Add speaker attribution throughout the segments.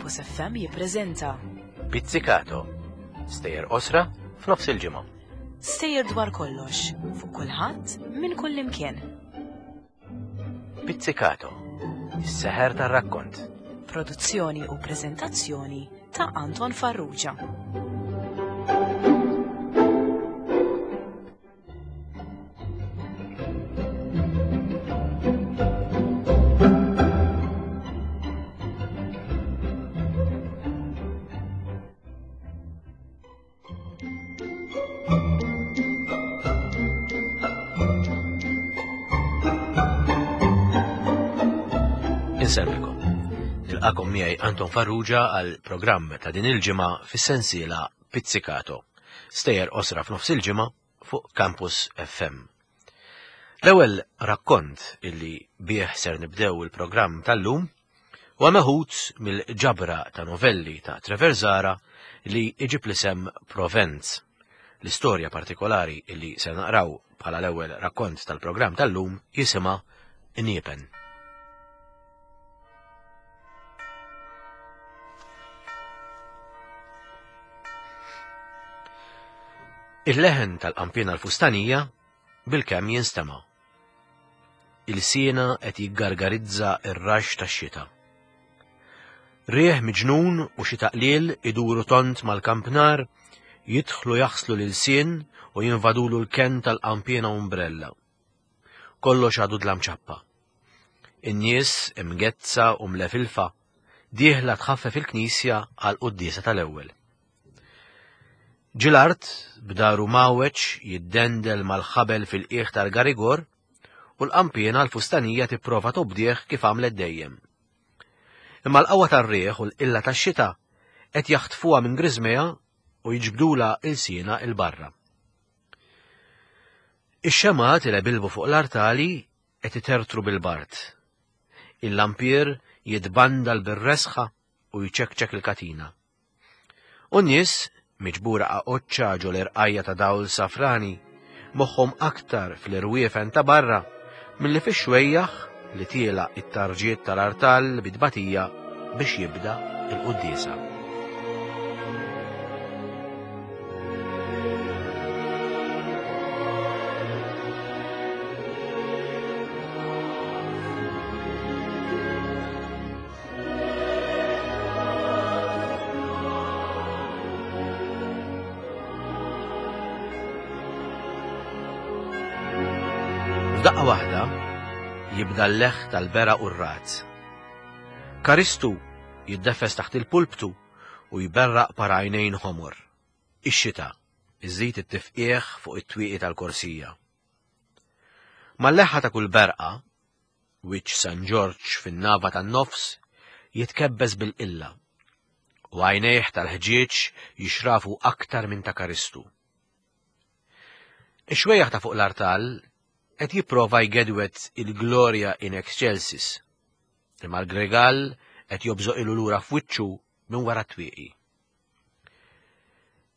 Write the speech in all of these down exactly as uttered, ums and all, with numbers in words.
Speaker 1: Campus F M jippreżenta
Speaker 2: Pizzicato, stejjer qosra f'nofs il-ġimgħa.
Speaker 1: Stejjer dwar kollox, fuq kulħadd minn kull imkien.
Speaker 2: Pizzicato, is-seħer tar-rakkont.
Speaker 1: Produzzjoni u preżentazzjoni ta' Anton Farrugia.
Speaker 2: Insellmilkom. Nilqakom miegħi Anton Farrugia għal programm ta' din il-ġimgħa fis-sensiela Pizzicato. Stejjer qosra f'nofs il-ġimgħa fuq Campus F M. L-ewwel rakkont illi bih ser nibdew il-programm tal-lum huwa meħud mill-ġabra ta' novelli ta' Trevor Zahra li iġib l-isem Provenz. L-istorja partikolari illi ser naqraw bħala l-ewwel rakkont tal-programm tal-lum jisimha Niepen. Il-leħen tal-qampina l-fustanija bil-kemm jinstema'. Il-siena qed jiggargarizza r-rax tax-xita. Rieħ miġnun u xi taqlil iduru tont mal-kampnar, jidħlu jaħslu lil-sien u jinvadulu l-kenn tal-qampina umbrella. Kollox għadu dlam ċappa. In-nies imgezza u mlefilfa dieħla tħaffef il-knisja għal quddiesa tal-ewwel. Ġilart b'daru mawweġ jiddendel mal-ħabel fil-qiegħ tal-garigor u l-qampina l-fustanija tipprova tobdih kif għamlet dejjem. Imma l-qawwa tar-riħ u l-qilla tax-xita qed jaħtfuha minn griżmeha u jiġbdulha ilsienha il barra. Ix-xemgħat li bilbu fuq l-artali qed itertru bil-bard. Il-lampier jitbandal bir-resħa u jċekċek il-katina. U n-nies miġbura qaqoċċa ġo l-irqajja ta' dawl safrani, moħħhom aktar fl-irwiefen ta' barra milli fix-xwejjaħ li tiela it-tarġiet tal-artal bit-tbatija biex jibda il-quddiesa. F'daqqa waħda jibda l-leħ tal-bera u r-rat. Karistu jiddefes taħt il-pulptu u jberraq para għajnejn ħomor. Ix-xita iżid it-tifqieħ fuq it-twieqi tal-korsija. Mal-leħħa ta' kull berqa, wiċċ San Ġorġ fin-nava tan-nofs jitkebbes bil-qilla u għajnejh tal-ħġieġ jixrafu aktar minn ta' Karistu. Ix-xwejjaħ ta' fuq l-artal qed jipprova jgedwet il-Gloria in Excelsis, imma l-Gregal qed jobżoq ilu lura f'wiċċu minn wara t-twieqi.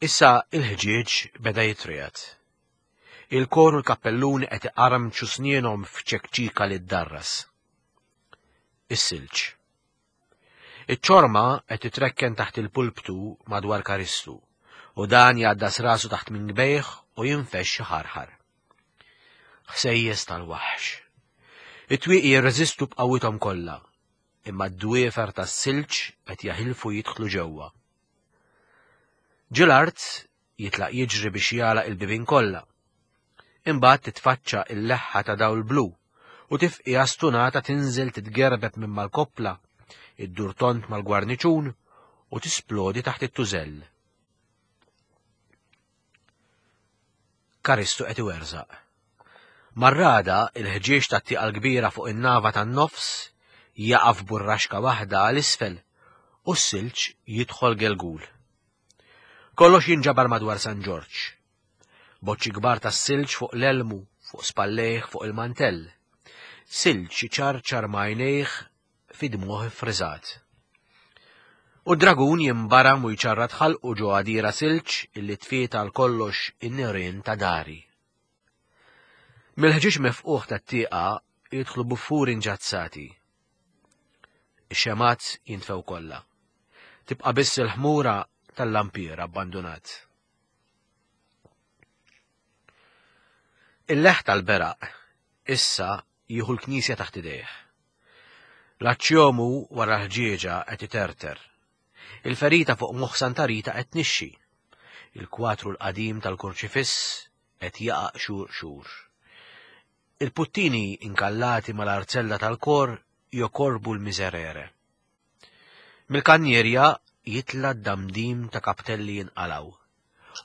Speaker 2: Issa il-ħġieġ beda jitriegħed. Il-kor u l-kappellun qed iqarmċu snienhom f'ċekċika li ddarras. Is-silġ. Iċ-ċorma qed titrekken taħt il-pulptu madwar Karistu u dan jgħaddas rasu taħt minn gbejh u jinfex xi ħarħar. Ħsejjes tal-waħx. It-twieqi jirreżistu b'qawwithom kollha, imma d-dwiefer tas-silġ qed jaħilfu jidħlu ġewwa. Ġilart jitlaq jiġri biex jagħlaq il-bibien kollha. Imbagħad titfaċċa l-leħħa ta' dawl blu u tifqija stunata tinżel titgerbeb minn mal-koppla, iddur tont mal-gwarniċun u tisplodi taħt it-tużell. Karistu qed iwerżaq. Marrada il-ħġieġ tat-tieqa l-kbira fuq in-nava tan-nofs jaqaf burraxka waħda għal isfel u s-silġ jidħol gelgul. Kollox jinġabar madwar San Ġorġ. Boċċi kbar tas-silġ fuq l-elmu, fuq spallejh, fuq il-mantell. Silġ iċarċar m'għajnejh fi dmuħ iffriżat. U d-dragun jimbaram u jċarrat ħalqu ġo għadira silġ illi tfiet għal kollox in-nirien ta' dari. Mill-ħġieġ mefquħ tat-tieqa jidħlu buffuri nġazzati. Ix-xemat jintfew kollha. Tibqa' biss il-ħmura tal-lampier abbandunat. Il-leħ tal-beraq issa jieħu l-knisja taħt idejh. L-aċċjomu wara l-ħġieġa qed iterter. Il-ferita fuq moħħ Santa Rita qed tnixxi. Il-kwatru l-qadim tal-kurċifiss qed jaqa' xhur xhur. Il-puttini inkallati mal-arzella tal-kor jokorbu l-miserere. Mill-kannierja jitla d-damdim ta' kaptelli jinqalaw.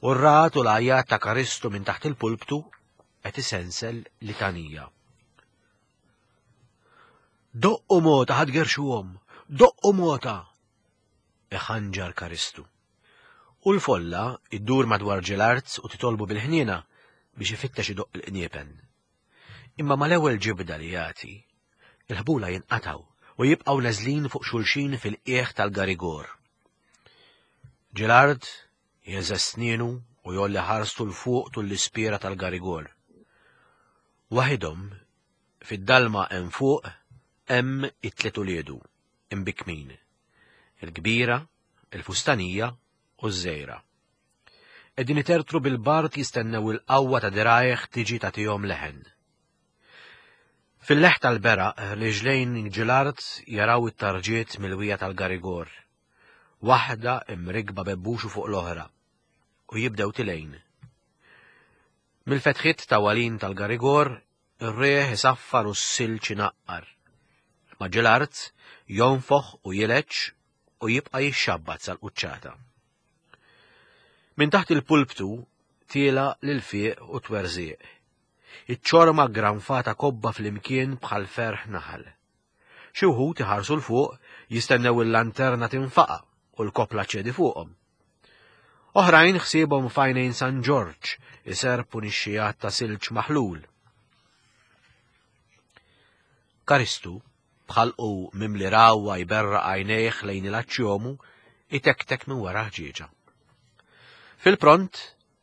Speaker 2: U r-rat u l-għajat ta' Karistu minn taħt il-pulptu qed isensel litanija. Doqqu mota ħad gerxuhom, doqqu mota! Iħanġar Karistu. U l-folla iddur madwar Ġelarz u titolbu bil-ħniena biex ifittex idoqq il-qniepen. Imma mal-ewwel ġibda li jagħti, il-ħbula jinqataw u jibqgħu neżlin fuq xulxin fil-qiegħ tal-garigor. Ġelard jeżeż snienu u jolli ħarstu l fuq tul l-ispira tal-garigor. Waħidhom fid-dalma hemm fuq hemm it-tliet uliedu imbikmin, il-kbira, il-fustanija u ż-żejra. Qegħdin itertru bil-bart jistennew il-qawwa ta' dirajh tiġi tagħtihom leħen. Fil-leħ tal-beraq riġlejn Ġelard jaraw it-tarġiet mill-wija tal-garigor, waħda imrigba bebbuxu fuq l-oħra, u jibdew tilejn. Mill-fetħiet ta' walin tal-garigor, ir-rieħ isaffar u s-silġ inaqqar. Ma Ġelard jonfoħ u jileġ u jibqa' jixxabbat sal-quċċata. Minn taħt il-pulptu tiela l-fiq u twerżieq. Iċ-ċorma granfata kobba fl-imkien bħal ferħ naħal. Xi wħud iħarsu l fuq jistennew il-lanterna tinfaqa' u l-kopla ċedi fuqhom. Oħrajn ħsiebhom f'għajnejn San Ġorġ iserpu nixxijat ta' silġ maħlul. Karistu, bħalqu mimli rawwa jberraq għajnejh lejn il-aċċjomu, itektek minn wara ħġieġa. Fil-pront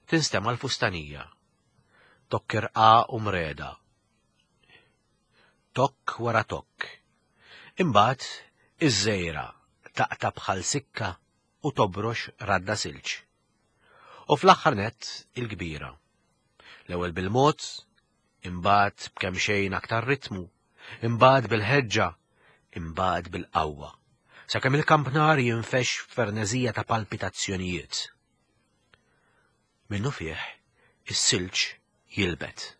Speaker 2: tinstema' l-fustanija. Tokk irqa u mreda. Tokk wara tokk. Imbagħad iż-żejra taqta' bħal sikka u tobrox radda silġ. U fl-aħħar nett il-kbira. L-ewwel bil-mod, imbagħad b'kemm xejn aktar ritmu, imbagħad bil-ħeġġa, imbagħad bil-qawwa, sakemm il-kampnar jinfex f'ferneżija ta' palpitazzjonijiet. Minnu fih, is-silġ jilbet.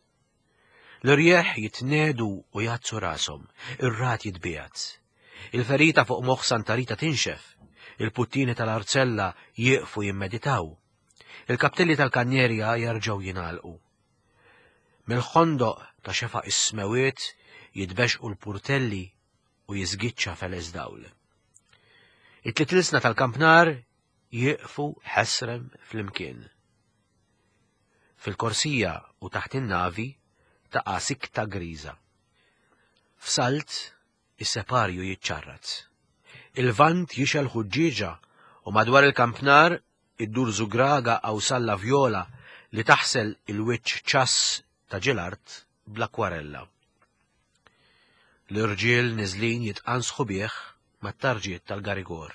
Speaker 2: L-irjeħ jitnedu u jazzu rashom, ir-rat jitbiegħed. Il-ferita fuq moħħ Santa Rita tinxef, il-puttini tal-arzella jieqfu jimmeditaw. Il-kaptelli tal-kannierja jerġgħu jingħalqu. Mill-ħondoq ta' xefaq is-smewiet jitbexqu l-purtelli u jiżgiċċa feles dawl. It-tliet ilsna tal-kampnar jieqfu ħesrem flimkien. Fil-korsija u taħt in-navi taqa' sikta griża. F'salt is-separju jiċċarrat. Il-vant jixel ħuġġieġa u madwar il-kampnar iddur żugraga qawsalla vjola li taħsel il-wiċċ ċass ta' Ġelard bl-akwarella. L-irġiel niżlin jitqansħu bih mat-tarġiet tal-garigor.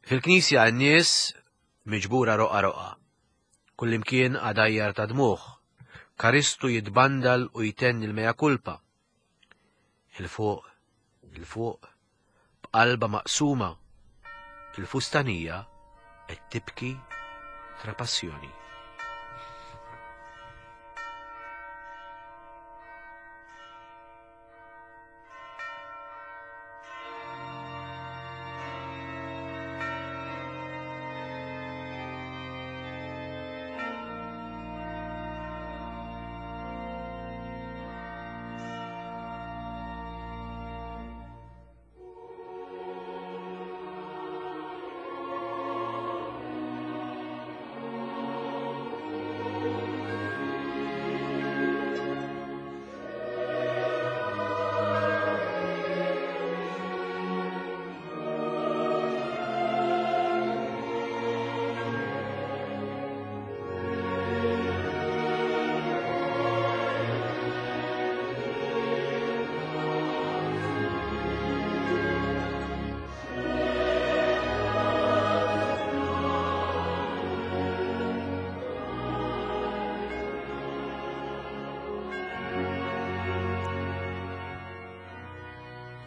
Speaker 2: Fil-knisja n-nies miġbura roqa roqa. Kullimkien għadajjar ta' dmuħ. Karistu jitbandal u jtenni l-meja kulpa. Il-fuq, il-fuq, b'qalba maqsuma, il-fustanija qed tibki trapassjoni.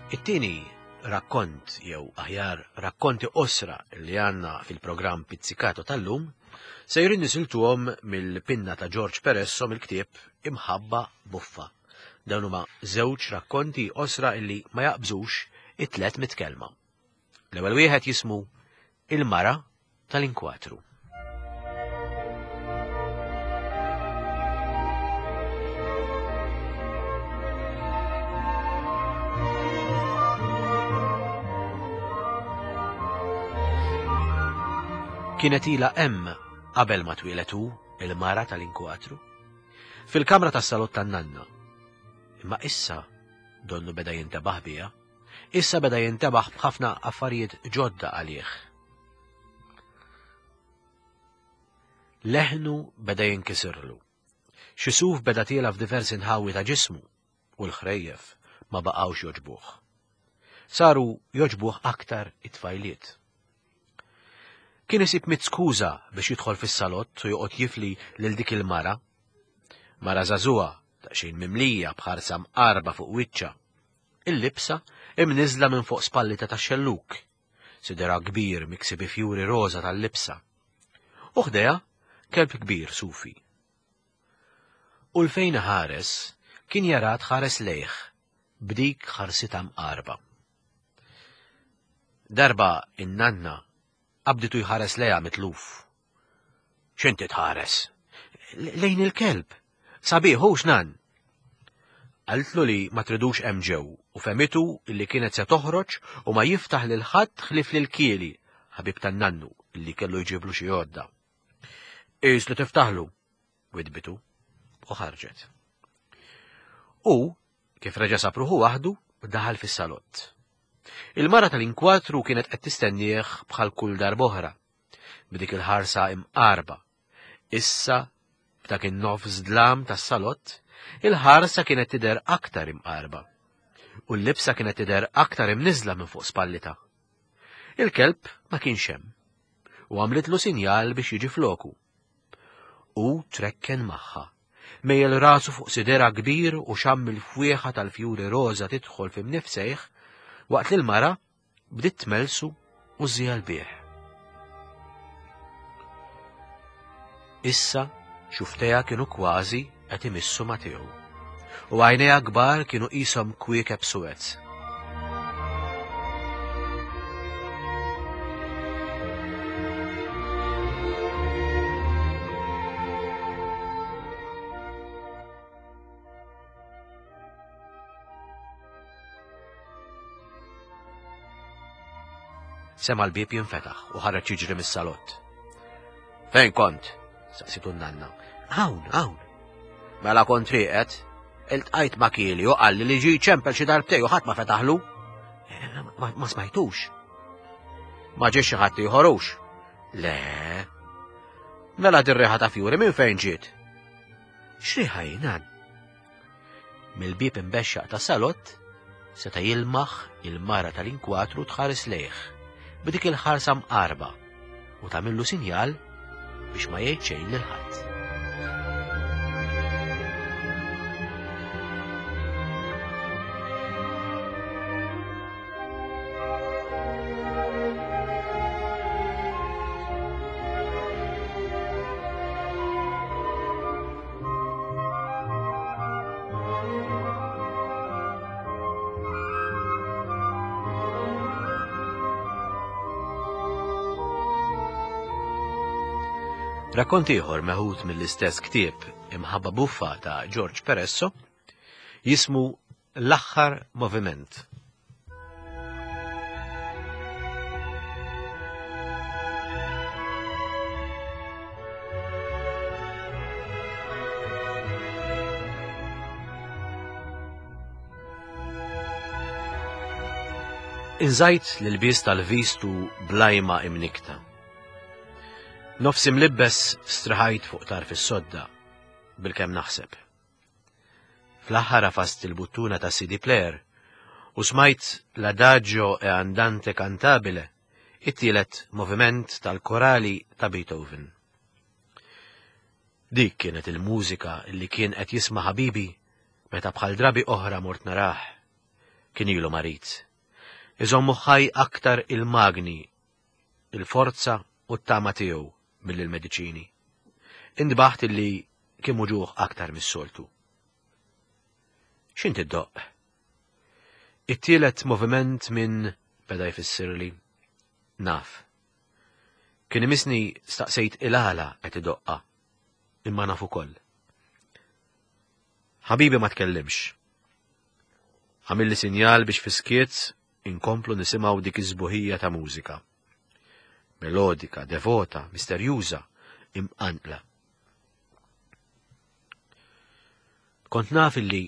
Speaker 2: It-tieni rakkont jew aħjar rakkonti qosra li għandna fil-programm Pizzicato tal-lum sejrin nisiltuhom mill-pinna ta' George Peresso mill-ktieb Imħabba Buffa. Dawn huma żewġ rakkonti qosra illi ma jaqbżux it-tliet mitt kelma. L-ewwel wieħed jismu Il-Mara tal-Inkwatru. Kienet ilha hemm qabel ma twieled hu il-mara tal-inkwatru, fil-kamra tas-salott tan-nanna. Imma issa donnu beda jintebaħ biha, issa beda jintebaħ b'ħafna affarijiet ġodda għalih. Leħnu beda jinkisirlu. Xi suf beda tiela f'diversi nħawi ta' ġismu u l-ħrejjef ma baqgħux joġbuh. Saru joġbuh aktar it-tfajliet. Kien isib mitt skuża biex jidħol fis-salott u joqgħod jifli lil dik il-mara. Mara żagħżugħa, daqsxejn mimlija b'ħarsa mqarba fuq wiċċha. Il-libsa imniżla minn fuq spallita tax-xelluk, sidera kbir miksi bi fjuri roża tal-libsa. U ħdejha kelb kbir sufi. U l-fejn ħares kien jara tħares lejh b'dik ħarsita mqarba. Darba in-nanna qabditu jħares lejha mitluf. X'inti tħares? Lejn il-kelb. Sabiħ hux nan. Qaltlu li ma tridux hemm ġew u femitu illi kienet se toħroġ u ma jiftaħ lil ħadd ħlief lil Kieli, ħabib tan-nannu illi kellu jġiblu xi għodda. Qis li tiftaħlu, widbitu, u ħarġet. U, kif reġa' sab ruħu waħdu, daħal fis-salott. Il-mara tal-inkwatru kienet qed tistennieh bħal kull darb'oħra, b'dik il-ħarsa imqarba. Issa, b'dak in-nofs dlam tas-salott, il-ħarsa kienet tidher aktar imqarba, u l-libsa kienet tidher aktar imniżla minn fuq spallita. Il-kelb ma kienx hemm, u għamlitlu sinjal biex jiġi floku. U trekken magħha, mejjel rasu fuq sidera kbir u xamm il-fwieħa tal-fjuri roża tidħol fi mnifsejh, waqt li l-mara bdiet tmelsu u żżijal bih. Issa xuftejha kienu kważi qed imissu ma' tiegħu, u għajnejha kbar kienu qishom kwiekeb suwed. Sema l-bieb jinfetaħ u ħareġ jiġri mis-salott. Fejn kont? Saqsitu n-nanna. Hawn, hawn. Mela kont rieqed, iltqajt ma' Kieli u qalli li ġie ċempel xi darbtej u ħadd ma fetaħlu. Ma, ma smajtux. Ma ġiex xi ħadd ieħor hux. Le. Mela dir-riħa ta' fjuri minn fejn ġiet? X'riħa hi, nan? Mill-bieb imbexxaq ta' salott seta' jilmaħ il-mara tal-inkwatru tħares lejh b'dik il-ħarsa mqarba u tagħmillu sinjal biex ma jgħid xejn lil ħadd. Rakkont ieħor meħud mill-istess ktieb Imħabba Buffa ta' George Peresso jismu L-Aħħar Moviment. Inżajt l-ilbies tal-vistu blajma imnikta. Nofsi mlibbes straħajt fuq tarf is-sodda bil-kemm naħseb. Fl-aħħar għafast il-buttuna ta' C D player u smajt l-Adagio e Andante Cantabile, it-tielet moviment tal-korali ta' Beethoven. Dik kienet il-mużika li kien qed jisma' ħabibi meta bħal drabi oħra mort narah. Kien ilu marid. Iżommu ħaj aktar il-magni, il-forza u t-tama tiegħu mill-mediċini. Indbaħt illi kien muġuħ aktar mis-soltu. X'inti ddoqq? It-tielet moviment minn beda jfissirli. Naf. Kien imisni staqsejt il-għala qed idoqqa, imma naf ukoll. Ħabibi ma tkellimx. Għamilli sinjal biex fiskiet inkomplu nisimgħu dik iż-żbuħija ta' mużika. Melodika, devota, misterjuża, imqanqla. Kont naf illi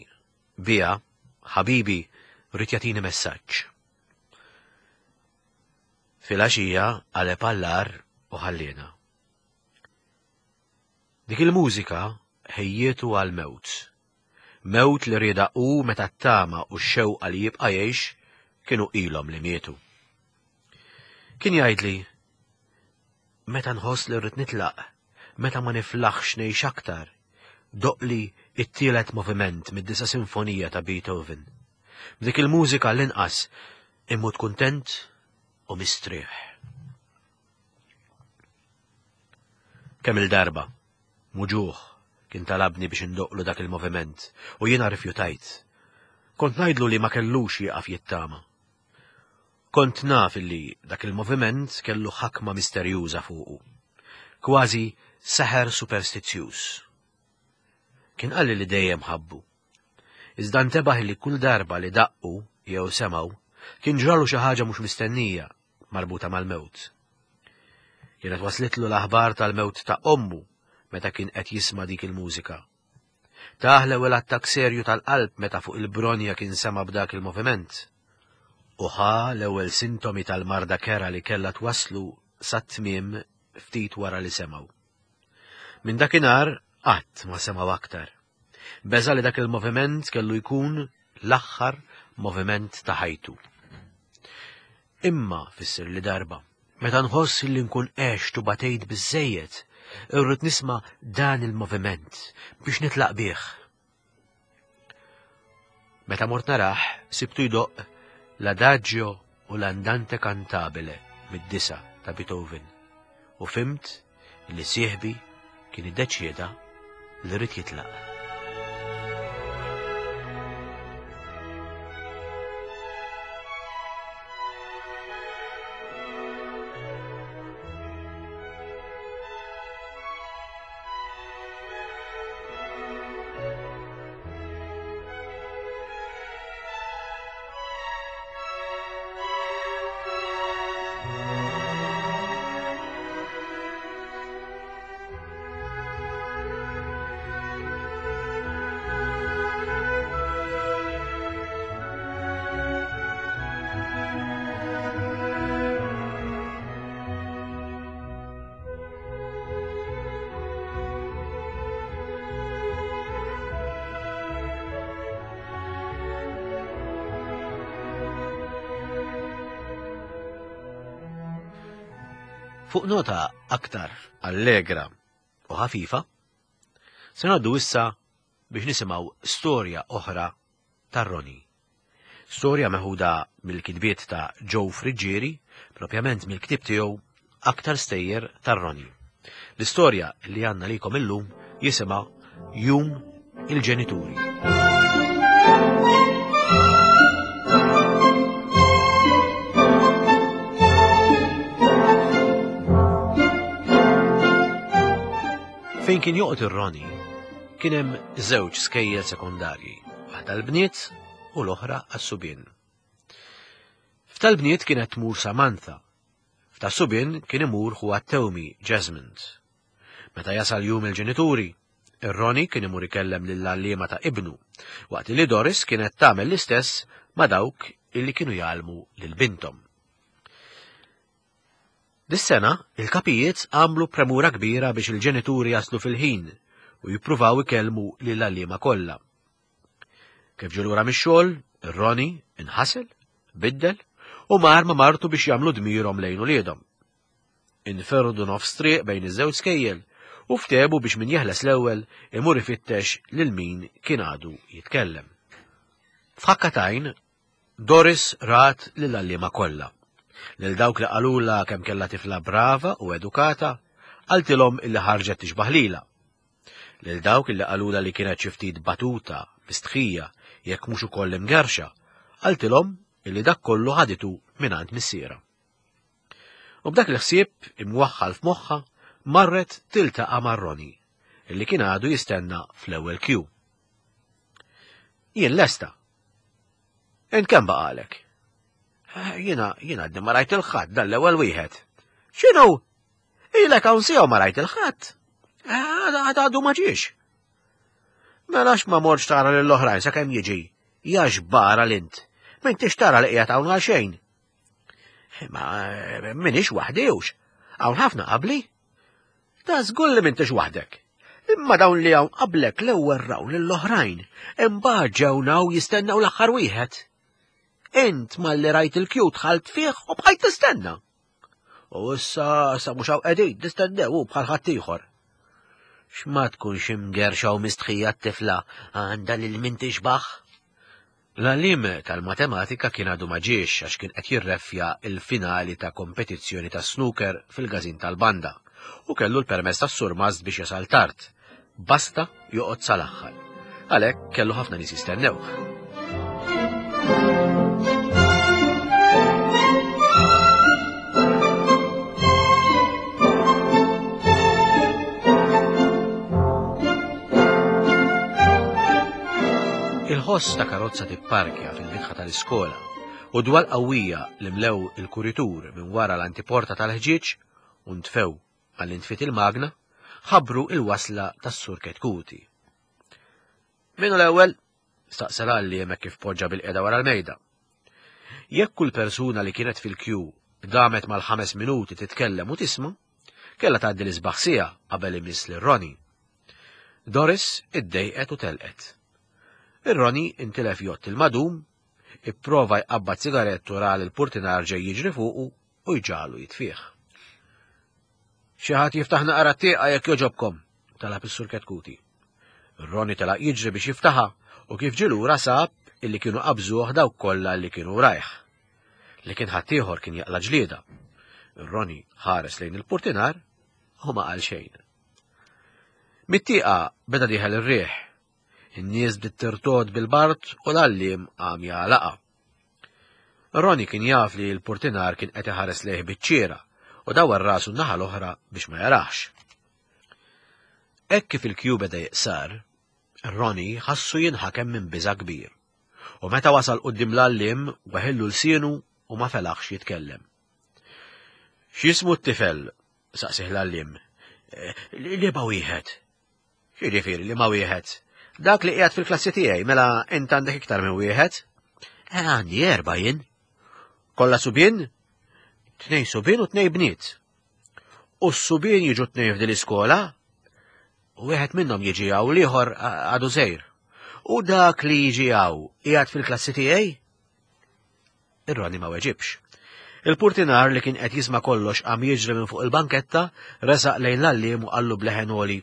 Speaker 2: bija, ħabibi, rrid jagħtini messaġġ. Filgħaxija qaleb għall-agħar u ħalliena. Dik il-mużika ħejjietu għal-mewt. Mewt li rieda u meta t-tama u x-xewqa li jibqa' jgħix kienu ilhom li mietu. Kien jgħidli, meta nħoss li rrid nitlaq, meta ma niflaħx ngħix aktar, doqli it-tielet moviment mid-disa' sinfonija ta' Beethoven. B'dik il-mużika l-inqas immut kuntent u mistrieħ. Kemm il-darba, muġuħ, kien talabni biex indoqlu dak il-moviment u jiena rifjutajt. Kont ngħidlu li ma kellux jieqaf jittama. Kont naf illi dak il-moviment kellu ħakma misterjuża fuqu. Kważi seħer superstizzjuż. Kien qalli li dejjem ħabbu. Iżda ntebaħ li kull darba li daqqu jew semgħu kien ġralu xi ħaġa mhux mistennija marbuta mal-mewt. Kienet waslitlu l-aħbar tal-mewt ta' ommu meta kien qed jisma' dik il-mużika. Tah l-ewwel attakk serju tal-qalb meta fuq il-bronja kien sema' b'dak il-moviment. U ħa l-ewwel sintomi tal-marda kera li kellha twaslu sat-tmiem ftit wara li semgħu. Minn dakinhar qatt ma semgħu aktar. Beża li dak il-moviment kellu jkun l-aħħar moviment ta' ħajtu. Imma fissir li darba, meta nħoss li nkun għext u batejt biżżejjed, irrid nisma' dan il-moviment biex nitlaq bih. Meta mort narah, sibtu jdoqq l-Adagio u l-Andante Cantabile mid-disa ta' Beethoven u fimt li sieħbi kien iddeċieda li rrid jitlaq. Fuq nota aktar allegra u ħafifa, se ngħaddu issa biex nisimgħu storja oħra tar-Roni. Storja meħuda mill-kitbiet ta' Joe Friggieri, propjament mill-ktieb tiegħu Aktar Stejjer tar-Roni. L-istorja li għandna likom illum jisimha Jum il-Ġenituri. Fejn kien joqgħod ir-Roni, kien hemm żewġ skejjel sekondarji, waħda l-bniet u l-oħra għas-subien. F'tal-bniet kienet tmur Samantha, f'tas-subien kien imur ħuha t-tewmi Jasmine. Meta jasal jum il-ġenituri, ir-Roni kien imur ikellem lill-għalliema ta' ibnu, waqt li Doris kienet tagħmel l-istess ma' dawk illi kienu jgħallmu lil binthom. Dis-sena, il-kapijiet għamlu premura kbira biex il-ġenituri jaslu fil-ħin u jippruvaw ikellmu lill-għalliema kollha. Kif ġie lura mix-xogħol, ir-Roni inħasel, biddel u mar ma' martu biex jagħmlu dmirhom lejn uliedhom. Inferdu nofs triq bejn iż-żewġ skejjel u ftehmu biex min jeħles l-ewwel imur ifittex lil min kien għadu jitkellem. F'ħakka t'għajn, Doris rat lill-għalliema kollha. Lil dawk li qalulha kemm kellha tifla brava u edukata, qaltilhom illi ħarġet tixbaħ lilha. Lil dawk illi qalulha li kienet xi ftit batuta, mistħija, jekk mhux ukoll imgerxa, qaltilhom illi dak kollu ħaditu mingħand missierha. U b'dak il-ħsieb imwaħħal f'moħħha marret tiltaqa' ma' Ronnie, illi kien għadu jistenna fl-ewwel kju. Jien lesta. Int kemm baqalek? Jiena jiena għadni ma rajt il-ħadd dan l-ewwel wieħed. X'inhu? Ilek hawn siegħa ma rajt il-ħadd. Għad għadu ma ġiex. Mela ma mortx tara lill-oħrajn sakemm jiġi. Ja xbara l-int. M'intix tara li qiegħed hawn għal xejn. Ma minix waħdi hux. Hawn ħafna qabli. Ta' żgur li m'intix waħdek. Imma dawn li hawn qablek l-ewwel raw lill-oħrajn, imbagħad ġew naw jistennew l-aħħar wieħed. Int malli rajt il-kju dħalt fih u bqajt tistenna. U issa sa mhux hawn qegħdin tistennew hu bħal ħaddieħor. X'ma tkunx imgerxa u mistħija t-tifla għandha lil min tixbaħ? L-għalliem tal-matematika kien għadu ma ġiex għax kien qed jirreffja il-finali ta' kompetizzjoni ta' snooker fil-każin tal-banda u kellu l-permess tas-surmast biex jasal tard. Basta joqgħod sal-aħħar. Għalhekk kellu ħafna nies jistennewh. Il-ħoss ta' karozza tipparkja fil-bitħa tal-iskola u dwal qawwija li mlew il-kuritur minn wara l-antiporta tal-ħġieġ u ntfew għall-intfit il-magna ħabbru il-wasla tas-Sur Ketkuti. Min hu l-ewwel? Staqsa l-għalliem hekk kif poġġa bil-qiegħda wara l-mejda. Jekk kull persuna li kienet fil-kju damet mal-ħames minuti titkellem u tisma', kellha tgħaddi l-isbaħ siegħa qabel imiss lil Ronnie. Doris iddejqet u telqet. Ir-Ronnie intilef jgħodd il-madum, ipprova jqabbad sigarettu ra lil purtinar ġej jiġri fuqu u jġagħlu jitfih. Xi ħadd jiftaħ naqra t-tieqa jekk jogħġobkom, talab is-Sur Ketkuti. Ronnie telaq jiġri biex jiftaħha u kif ġie lura sab illi kienu qabżuh dawk kollha li kienu rajh. Li kien ħaddieħor kien jaqla' ġlieda. Ronnie ħares lejn il-purtinar u ma qal xejn. Mit-tieqa beda dieħel ir-riħ. In-nies bdiet tirtod bil-bard u l-għalliem qam jagħlaqha. Ronnie kien jaf li l-purtinar kien qed iħares lejh biċ-ċiera u dawar rasu n-naħa l-oħra biex ma jarax. Hekk kif il-kju beda jiqsar, Ronnie ħassu jinħakem minn biża' kbir. U meta wasal quddiem l-għalliem weħillu lsienu u ma felaħx jitkellem. X'jismu t-tifel? Saqsih l-għalliem. Liema wieħed. X'jiġifieri liema wieħed? Dak li qiegħed fil-klassi tiegħi, mela int għandek iktar minn wieħed? Eh, għandi erba' jien. Kollha subien? Tnejn subien u tnejn bniet. U s-subien jiġu tnejn f'din l-iskola? Wieħed minnhom jiġi hawn l-ieħor għadu żgħir. U dak li jiġi hawn qiegħed fil-klassi tiegħi? Ir-Ronnie ma weġibx. Il-purtinar li kien qed jisma' kollox qam jiġri minn fuq il-banketta, resaq lejn l-għalliem u qallu b'leħen għoli.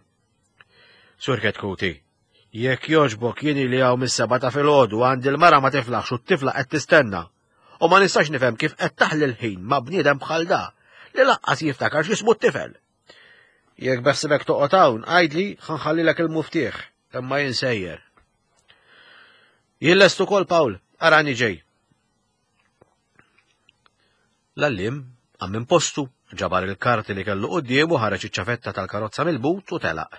Speaker 2: Sur Ketkuti, jekk jogħġbok jien li hawn mis-seba' ta' filgħodu għandi l-mara ma tiflaħx u t-tifla qed tistenna. U ma nistax nifhem kif qed taħli l-ħin ma' bniedem bħal da li laqqas jiftakar x'ismu t-tifel. Jekk beħsibek toqgħod hawn, għidli ħa nħallilek il-muftieħ, imma jien sejjer. Jien lest ukoll Paul, arani ġej. L-għalliem qam minn postu, ġabar il-karti li kellu quddiemu, ħareġ iċ-ċavetta tal-karozza mill-but u telaq.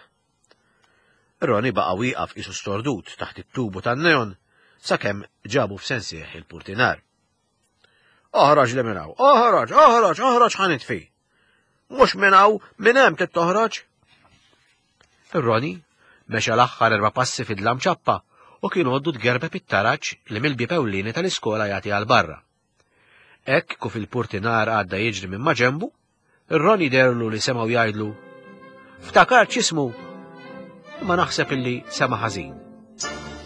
Speaker 2: Ronnie baqa' wieqaf qisu stordut taħt it-tubu tan-neon sakemm ġabu f'sensih il-purtinar. Oħroġ li minn hawn, oħroġ, oħroġ, oħroġ ħa nitfi. Mhux minn hawn, minn hemm trid toħroġ. Ronnie mexa l-aħħar erba' passi fid-dlam ċappa u kien għoddu tgerbeb it-taraġ li mill-bieb ewlieni tal-iskola jagħti għal barra. Hekk kif il-purtinar għadda jiġri minn maġenbu, Ronnie derlu li semgħu jgħidlu, Ftakart x'ismu, imma naħseb illi sema' ħażin.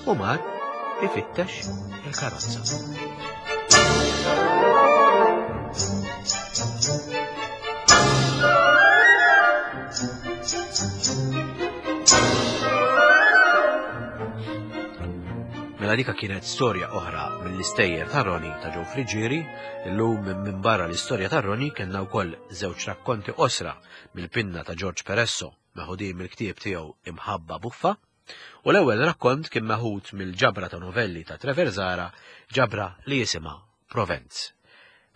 Speaker 2: U mar ifittex il-karozza. Mela dika kienet storja oħra mill-istejjer ta' Roni ta' Joe Friggieri. Illum minn barra l-istorja ta' Roni kellna wkoll żewġ rakkonti qosra mill-pinna ta' George Peresso meħudin mill-ktieb tiegħu Imħabba Buffa. U l-ewwel rakkont kien meħud mill-ġabra ta' novelli ta' Trevor Zahra, ġabra li jisimha Provenz.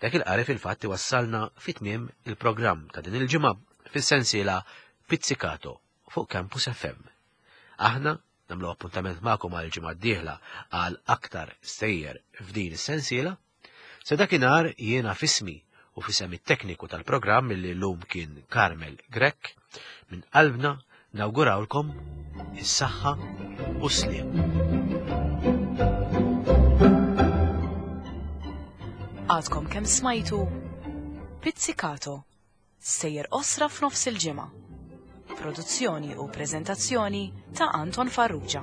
Speaker 2: Dak il-qari fil-fatt wassalna fit-tmiem il-programm ta' din il-ġimgħa fis-sensiela Pizzicato fuq Campus F M. Aħna nagħmlu appuntament magħkom għal ġimgħa d-dieħla għal aktar stejjer f'din is-sensiela. Sa dakinhar, jiena f'ismi u f'isem it-tekniku tal-programm li llum kien Carmel Grek, minn qalbna nawgurawlkom is-saħħa u s-sliem.
Speaker 1: Għadkom kemm smajtu Pizzicato, stejjer qosra f'nofs il-ġimgħa. Produzzjoni u preżentazzjoni ta' Anton Farrugia.